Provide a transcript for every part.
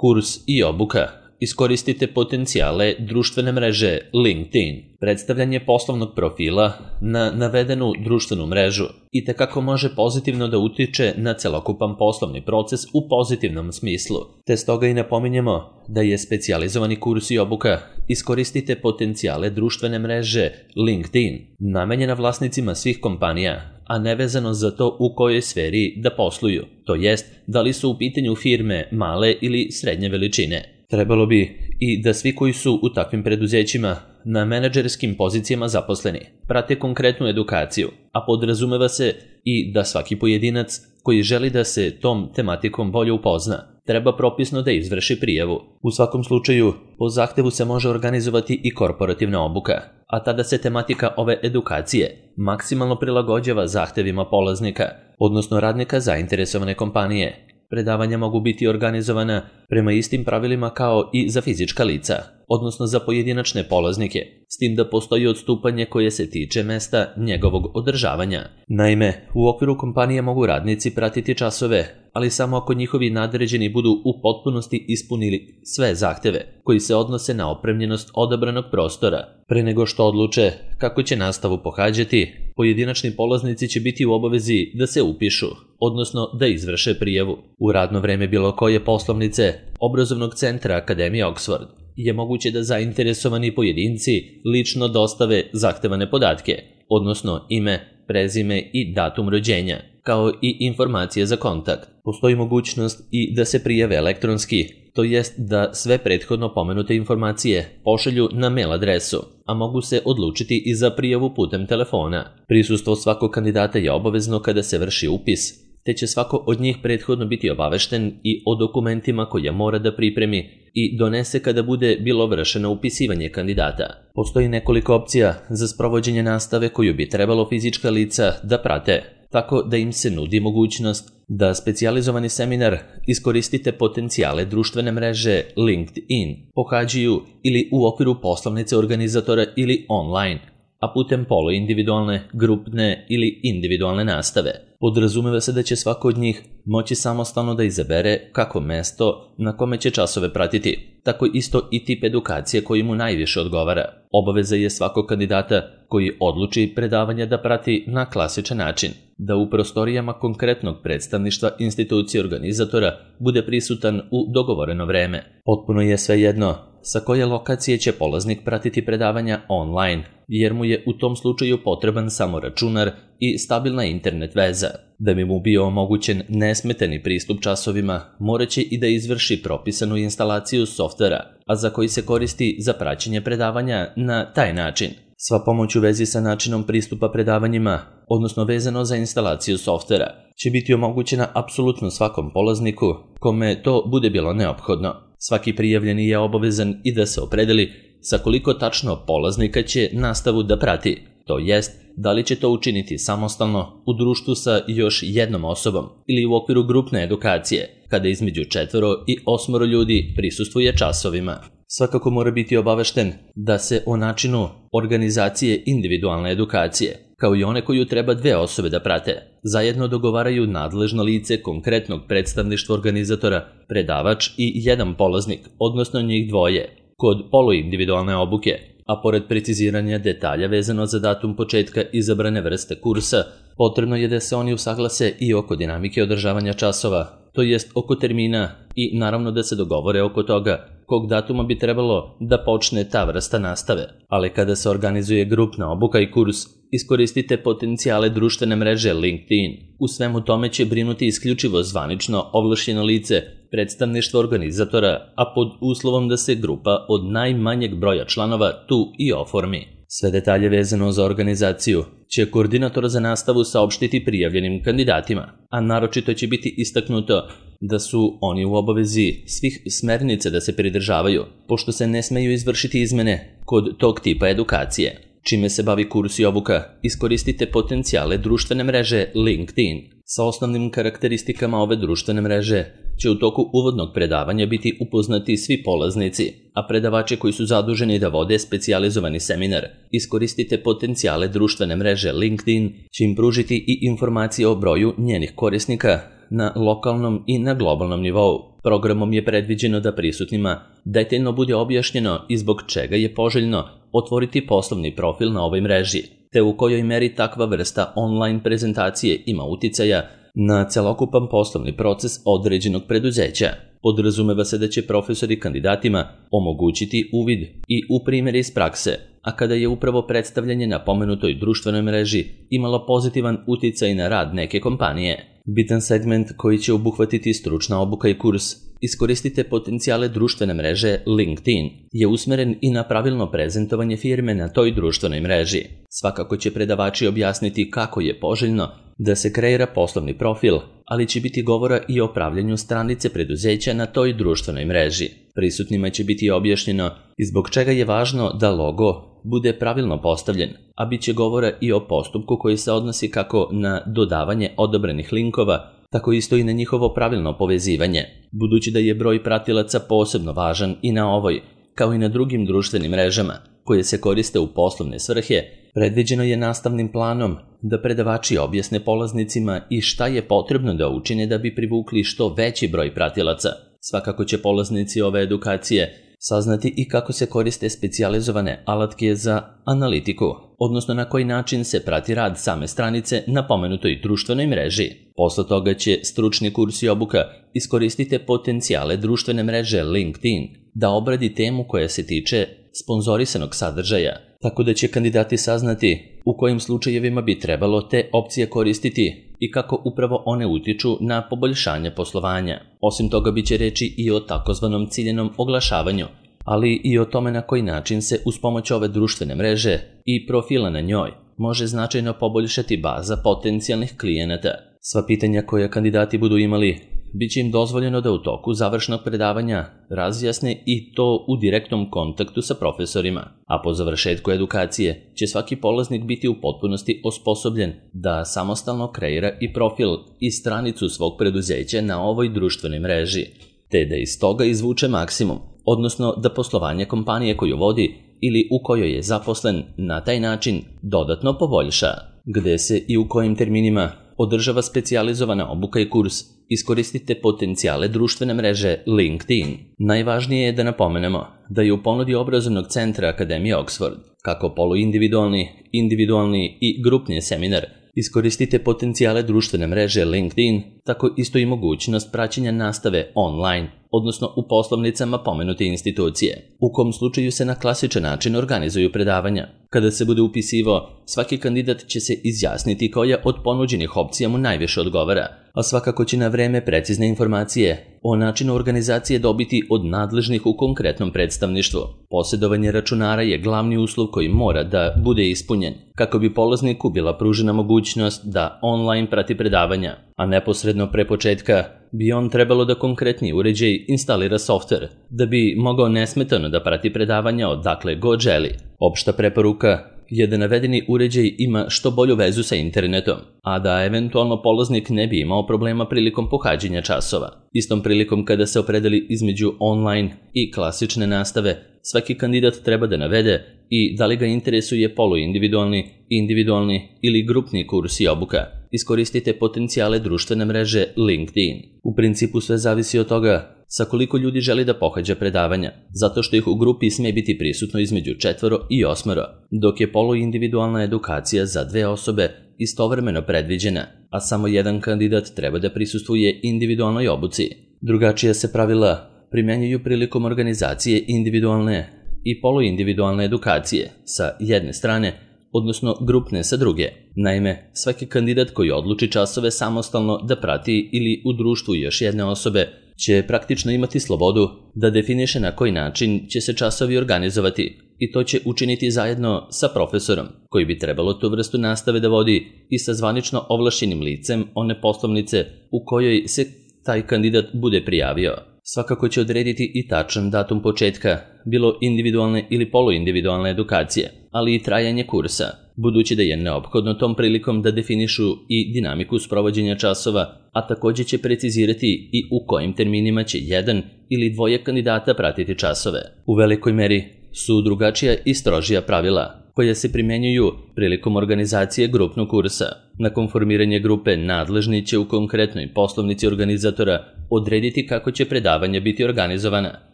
Kurs i obuka. Iskoristite potencijale društvene mreže LinkedIn. Predstavljanje poslovnog profila na navedenu društvenu mrežu itekako može pozitivno da utiče na celokupan poslovni proces u pozitivnom smislu, te stoga i napominjemo da je specijalizovani kurs i obuka Iskoristite potencijale društvene mreže LinkedIn namenjena vlasnicima svih kompanija, a nevezano za to u kojoj sferi da posluju, to jest da li su u pitanju firme male ili srednje veličine. Trebalo bi i da svi koji su u takvim preduzećima na menadžerskim pozicijama zaposleni prate konkretnu edukaciju, a podrazumeva se i da svaki pojedinac koji želi da se tom tematikom bolje upozna treba propisno da izvrši prijavu. U svakom slučaju, po zahtevu se može organizovati i korporativna obuka, a tada se tematika ove edukacije maksimalno prilagođava zahtevima polaznika, odnosno radnika zainteresovane kompanije. Predavanja mogu biti organizovana prema istim pravilima kao i za fizička lica, odnosno za pojedinačne polaznike, s tim da postoji odstupanje koje se tiče mesta njegovog održavanja. Naime, u okviru kompanije mogu radnici pratiti časove, ali samo ako njihovi nadređeni budu u potpunosti ispunili sve zahteve koji se odnose na opremljenost odabranog prostora. Pre nego što odluče kako će nastavu pohađati, pojedinačni polaznici će biti u obavezi da se upišu, odnosno da izvrše prijavu. U radno vreme bilo koje poslovnice obrazovnog centra Akademije Oxford je moguće da zainteresovani pojedinci lično dostave zahtevane podatke, odnosno ime, prezime i datum rođenja, kao i informacije za kontakt. Postoji mogućnost i da se prijave elektronski, to jest da sve prethodno pomenute informacije pošalju na mail adresu, a mogu se odlučiti i za prijavu putem telefona. Prisustvo svakog kandidata je obavezno kada se vrši upis, te će svako od njih prethodno biti obavešten i o dokumentima koje mora da pripremi i donese kada bude bilo vršeno upisivanje kandidata. Postoji nekoliko opcija za sprovođenje nastave koju bi trebalo fizička lica da prate, tako da im se nudi mogućnost da specijalizovani seminar Iskoristite potencijale društvene mreže LinkedIn pohađaju ili u okviru poslovnice organizatora ili online, a putem poluindividualne, grupne ili individualne nastave. Podrazumeva se da će svako od njih moći samostalno da izabere kako mesto na kome će časove pratiti, tako isto i tip edukacije koji mu najviše odgovara. Obaveza je svakog kandidata koji odluči predavanja da prati na klasičan način, da u prostorijama konkretnog predstavništva institucije organizatora bude prisutan u dogovoreno vreme. Potpuno je svejedno sa koje lokacije će polaznik pratiti predavanja online, jer mu je u tom slučaju potreban samo računar i stabilna internet veza. Da bi mu bio omogućen nesmetani pristup časovima, moraće i da izvrši propisanu instalaciju softvera, a za koji se koristi za praćenje predavanja na taj način. Sva pomoć u vezi sa načinom pristupa predavanjima, odnosno vezano za instalaciju softvera, će biti omogućena apsolutno svakom polazniku kome to bude bilo neophodno. Svaki prijavljeni je obavezan i da se opredeli sa koliko tačno polaznika će nastavu da prati, to jest da li će to učiniti samostalno u društvu sa još jednom osobom ili u okviru grupne edukacije, kada između 4 i 8 ljudi prisustvuje časovima. Svakako mora biti obavešten da se o načinu organizacije individualne edukacije, kao i one koju treba 2 osobe da prate, zajedno dogovaraju nadležno lice konkretnog predstavništva organizatora, predavač i jedan polaznik, odnosno njih 2, kod poluindividualne obuke, a pored preciziranja detalja vezano za datum početka izabrane vrste kursa, potrebno je da se oni usaglase i oko dinamike održavanja časova, to jest oko termina i naravno da se dogovore oko toga kog datuma bi trebalo da počne ta vrsta nastave. Ali kada se organizuje grupna obuka i kurs, iskoristite potencijale društvene mreže LinkedIn. U svemu tome će brinuti isključivo zvanično ovlašćeno lice predstavništva organizatora, a pod uslovom da se grupa od najmanjeg broja članova tu i oformi. Sve detalje vezano za organizaciju će koordinator za nastavu saopštiti prijavljenim kandidatima, a naročito će biti istaknuto da su oni u obavezi svih smernica da se pridržavaju, pošto se ne smeju izvršiti izmene kod tog tipa edukacije. Čime se bavi kurs i obuka, iskoristite potencijale društvene mreže LinkedIn. Sa osnovnim karakteristikama ove društvene mreže će u toku uvodnog predavanja biti upoznati svi polaznici, a predavači koji su zaduženi da vode specijalizovani seminar Iskoristite potencijale društvene mreže LinkedIn će im pružiti i informacije o broju njenih korisnika na lokalnom i na globalnom nivou, Programom je predviđeno da prisutnima detaljno bude objašnjeno i zbog čega je poželjno otvoriti poslovni profil na ovoj mreži, te u kojoj meri takva vrsta online prezentacije ima uticaja na celokupan poslovni proces određenog preduzeća. Podrazumeva se da će profesori kandidatima omogućiti uvid i u primjere iz prakse, a kada je upravo predstavljanje na pomenutoj društvenoj mreži imalo pozitivan uticaj na rad neke kompanije. Bitan segment koji će obuhvatiti stručna obuka i kurs Iskoristite potencijale društvene mreže LinkedIn je usmeren i na pravilno prezentovanje firme na toj društvenoj mreži. Svakako će predavači objasniti kako je poželjno da se kreira poslovni profil, ali će biti govora i o pravljenju stranice preduzeća na toj društvenoj mreži. Prisutnima će biti objašnjeno i zbog čega je važno da logo bude pravilno postavljen, a bit će govora i o postupku koji se odnosi kako na dodavanje odobrenih linkova, tako isto i na njihovo pravilno povezivanje. Budući da je broj pratilaca posebno važan i na ovoj, kao i na drugim društvenim mrežama, koje se koriste u poslovne svrhe, predviđeno je nastavnim planom da predavači objasne polaznicima i šta je potrebno da učine da bi privukli što veći broj pratilaca. Svakako će polaznici ove edukacije saznati i kako se koriste specijalizovane alatke za analitiku, odnosno na koji način se prati rad same stranice na pomenutoj društvenoj mreži. Posle toga će stručni kurs i obuka Iskoristite potencijale društvene mreže LinkedIn da obradi temu koja se tiče sponzorisanog sadržaja, tako da će kandidati saznati u kojim slučajevima bi trebalo te opcije koristiti i kako upravo one utiču na poboljšanje poslovanja. Osim toga biće reči i o takozvanom ciljenom oglašavanju, ali i o tome na koji način se uz pomoć ove društvene mreže i profila na njoj može značajno poboljšati baza potencijalnih klijenata. Sva pitanja koja kandidati budu imali biće im dozvoljeno da u toku završnog predavanja razjasne i to u direktnom kontaktu sa profesorima, a po završetku edukacije će svaki polaznik biti u potpunosti osposobljen da samostalno kreira i profil i stranicu svog preduzeća na ovoj društvenoj mreži, te da iz toga izvuče maksimum, odnosno da poslovanje kompanije koju vodi ili u kojoj je zaposlen na taj način dodatno poboljša. Gde se i u kojim terminima održava specijalizovana obuka i kurs Iskoristite potencijale društvene mreže LinkedIn. Najvažnije je da napomenemo da je u ponudi obrazovnog centra Akademije Oxford kako poluindividualni, individualni i grupni seminar Iskoristite potencijale društvene mreže LinkedIn, tako isto i mogućnost praćenja nastave online, odnosno u poslovnicama pomenute institucije, u kom slučaju se na klasičan način organizuju predavanja. Kada se bude upisivao, svaki kandidat će se izjasniti koja od ponuđenih opcija mu najviše odgovara, a svakako će na vreme precizne informacije o načinu organizacije dobiti od nadležnih u konkretnom predstavništvu. Posjedovanje računara je glavni uslov koji mora da bude ispunjen, kako bi polazniku bila pružena mogućnost da online prati predavanja, a neposredno pre početka bi on trebalo da konkretni uređaj instalira softver, da bi mogao nesmetano da prati predavanja odakle god želi. Opšta preporuka je da navedeni uređaj ima što bolju vezu sa internetom, a da eventualno polaznik ne bi imao problema prilikom pohađanja časova. Istom prilikom kada se opredeli između online i klasične nastave, svaki kandidat treba da navede i da li ga interesuje poluindividualni, individualni ili grupni kurs i obuka. Iskoristite potencijale društvene mreže LinkedIn. U principu sve zavisi od toga sa koliko ljudi želi da pohađa predavanja, zato što ih u grupi sme biti prisutno između 4 i 8, dok je poluindividualna edukacija za 2 osobe istovremeno predviđena, a samo jedan kandidat treba da prisustvuje individualnoj obuci. Drugačija se pravila primjenjuju prilikom organizacije individualne i poluindividualne edukacije sa jedne strane, odnosno grupne sa druge. Naime, svaki kandidat koji odluči časove samostalno da prati ili u društvu još jedne osobe će praktično imati slobodu da definiše na koji način će se časovi organizovati i to će učiniti zajedno sa profesorom, koji bi trebalo tu vrstu nastave da vodi i sa zvanično ovlašćenim licem one poslovnice u kojoj se taj kandidat bude prijavio. Svakako će odrediti i tačan datum početka, bilo individualne ili poluindividualne edukacije, ali i trajanje kursa, budući da je neophodno tom prilikom da definišu i dinamiku sprovođenja časova, a također će precizirati i u kojim terminima će jedan ili dvoje kandidata pratiti časove. U velikoj meri su drugačija i strožija pravila koja se primenjuju prilikom organizacije grupnog kursa. Nakon formiranja grupe, nadležni će u konkretnoj poslovnici organizatora odrediti kako će predavanja biti organizovana,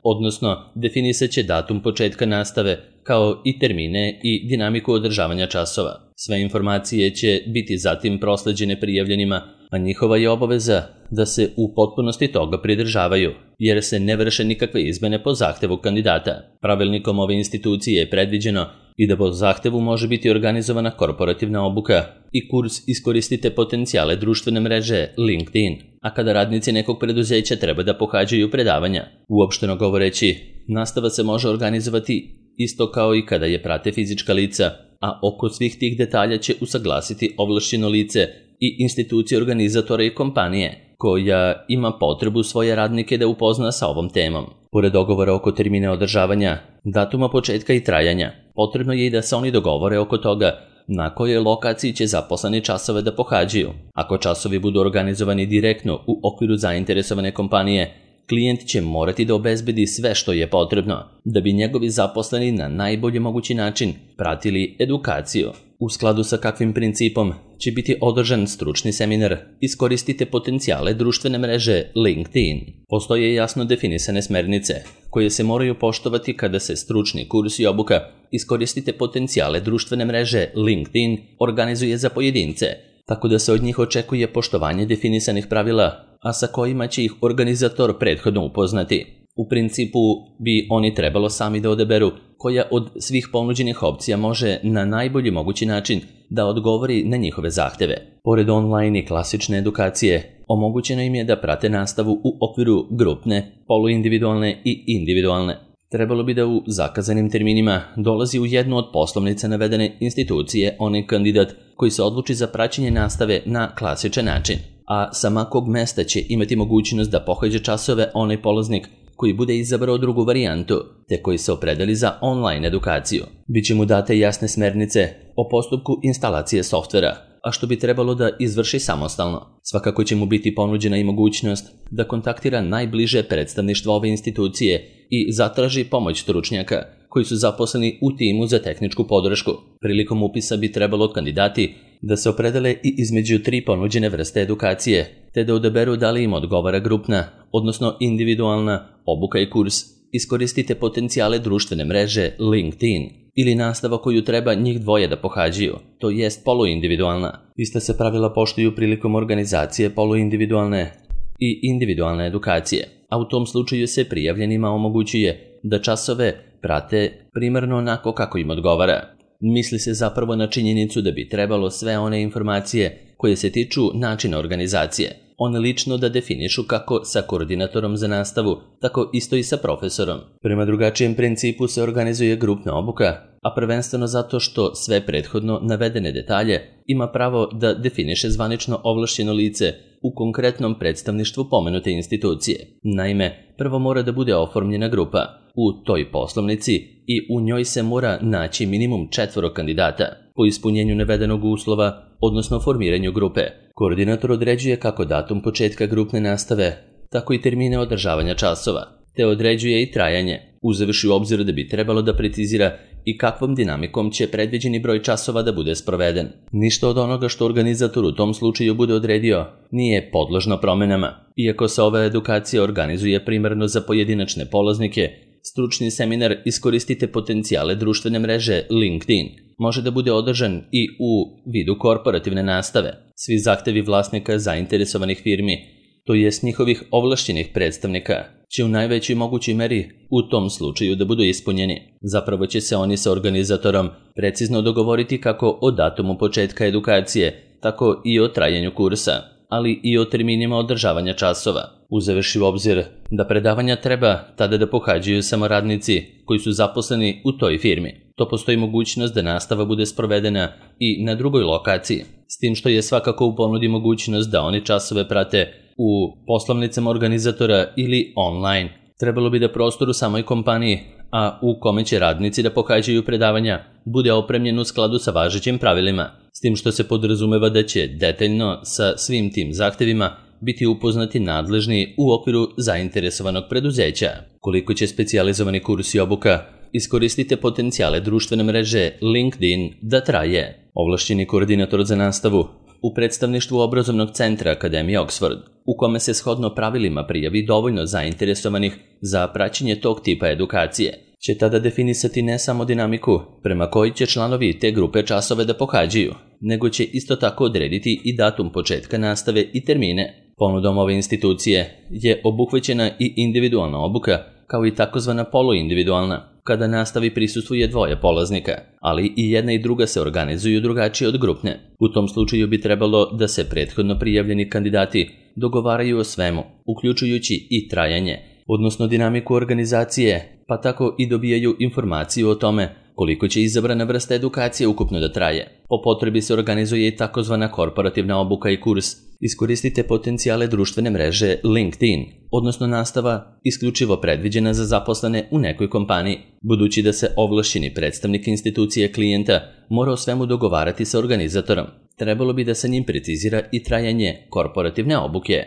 odnosno definisat će datum početka nastave, kao i termine i dinamiku održavanja časova. Sve informacije će biti zatim prosleđene prijavljenima, a njihova je obaveza da se u potpunosti toga pridržavaju, jer se ne vrše nikakve izmene po zahtevu kandidata. Pravilnikom ove institucije je predviđeno i da po zahtevu može biti organizovana korporativna obuka i kurs Iskoristite potencijale društvene mreže LinkedIn, a kada radnici nekog preduzeća treba da pohađaju predavanja. Uopšteno govoreći, nastava se može organizovati isto kao i kada je prate fizička lica, a oko svih tih detalja će usaglasiti ovlašćeno lice i institucije organizatora i kompanije, koja ima potrebu svoje radnike da upozna sa ovom temom. Pored dogovora oko termina održavanja, datuma početka i trajanja, potrebno je i da se oni dogovore oko toga na kojoj lokaciji će zaposleni časove da pohađaju. Ako časovi budu organizovani direktno u okviru zainteresovane kompanije, klijent će morati da obezbedi sve što je potrebno da bi njegovi zaposleni na najbolji mogući način pratili edukaciju. U skladu sa kakvim principom će biti održan stručni seminar Iskoristite potencijale društvene mreže LinkedIn. Postoje jasno definisane smernice koje se moraju poštovati kada se stručni kurs i obuka Iskoristite potencijale društvene mreže LinkedIn organizuje za pojedince, tako da se od njih očekuje poštovanje definisanih pravila, a sa kojima će ih organizator prethodno upoznati. U principu bi oni trebalo sami da odaberu koja od svih ponuđenih opcija može na najbolji mogući način da odgovori na njihove zahteve. Pored online i klasične edukacije, omogućeno im je da prate nastavu u okviru grupne, poluindividualne i individualne. Trebalo bi da u zakazanim terminima dolazi u jednu od poslovnica navedene institucije onaj kandidat koji se odluči za praćenje nastave na klasičan način, a sa kog mesta će imati mogućnost da pohađa časove onaj polaznik koji bude izabrao drugu varijantu, te koji se opredeli za online edukaciju. Biće mu date jasne smernice o postupku instalacije softvera, a što bi trebalo da izvrši samostalno. Svakako će mu biti ponuđena i mogućnost da kontaktira najbliže predstavništvo ove institucije i zatraži pomoć stručnjaka koji su zaposleni u timu za tehničku podršku. Prilikom upisa bi trebalo kandidati da se opredele i između 3 ponuđene vrste edukacije, te da odaberu da li im odgovara grupna, odnosno individualna obuka i kurs Iskoristite potencijale društvene mreže LinkedIn ili nastava koju treba njih dvoje da pohađaju, to jest poluindividualna. Ista se pravila poštuju prilikom organizacije poluindividualne i individualne edukacije, a u tom slučaju se prijavljenima omogućuje da časove prate primarno onako kako im odgovara. Misli se zapravo na činjenicu da bi trebalo sve one informacije koje se tiču načina organizacije, one lično da definišu kako sa koordinatorom za nastavu, tako isto i sa profesorom. Prema drugačijem principu se organizuje grupna obuka, a prvenstveno zato što sve prethodno navedene detalje ima pravo da definiše zvanično ovlašćeno lice u konkretnom predstavništvu pomenute institucije. Naime, prvo mora da bude oformljena grupa u toj poslovnici i u njoj se mora naći minimum 4 kandidata. Po ispunjenju navedenog uslova, odnosno formiranju grupe, koordinator određuje kako datum početka grupne nastave, tako i termine održavanja časova, te određuje i trajanje, uzevši u obzir da bi trebalo da precizira i kakvom dinamikom će predviđeni broj časova da bude sproveden. Ništa od onoga što organizator u tom slučaju bude odredio nije podložno promenama. Iako se ova edukacija organizuje primarno za pojedinačne polaznike, stručni seminar Iskoristite potencijale društvene mreže LinkedIn može da bude održan i u vidu korporativne nastave. Svi zahtevi vlasnika zainteresovanih firmi, to jest njihovih ovlašćenih predstavnika, će u najvećoj mogućoj meri u tom slučaju da budu ispunjeni. Zapravo će se oni sa organizatorom precizno dogovoriti kako o datumu početka edukacije, tako i o trajanju kursa, ali i o terminima održavanja časova. Uzevši u obzir da predavanja treba tada da pohađaju samo radnici koji su zaposleni u toj firmi. To postoji mogućnost da nastava bude sprovedena i na drugoj lokaciji, s tim što je svakako u ponudi mogućnost da oni časove prate u poslovnicama organizatora ili online. Trebalo bi da prostor u samoj kompaniji, a u kome će radnici da pohađaju predavanja, bude opremljen u skladu sa važećim pravilima, s tim što se podrazumeva da će detaljno sa svim tim zahtevima biti upoznati nadležni u okviru zainteresovanog preduzeća. Koliko će specijalizovani kurs i obuka iskoristite potencijale društvene mreže LinkedIn da traje. Ovlašćeni koordinator za nastavu u predstavništvu obrazovnog centra Akademije Oxford, u kome se shodno pravilima prijavi dovoljno zainteresovanih za praćenje tog tipa edukacije, će tada definisati ne samo dinamiku prema kojoj će članovi te grupe časove da pohađaju, nego će isto tako odrediti i datum početka nastave i termine. Ponudom ove institucije je obuhvaćena i individualna obuka, kao i takozvana poluindividualna, kada nastavi prisustvuje dvoje polaznika, ali i jedna i druga se organizuju drugačije od grupne. U tom slučaju bi trebalo da se prethodno prijavljeni kandidati dogovaraju o svemu, uključujući i trajanje, odnosno dinamiku organizacije, pa tako i dobijaju informaciju o tome koliko će izabrana vrsta edukacije ukupno da traje. Po potrebi se organizuje i takozvana korporativna obuka i kurs. Iskoristite potencijale društvene mreže LinkedIn, odnosno nastava isključivo predviđena za zaposlene u nekoj kompaniji, budući da se ovlašćeni predstavnik institucije klijenta mora o svemu dogovarati sa organizatorom. Trebalo bi da sa njim precizira i trajanje korporativne obuke.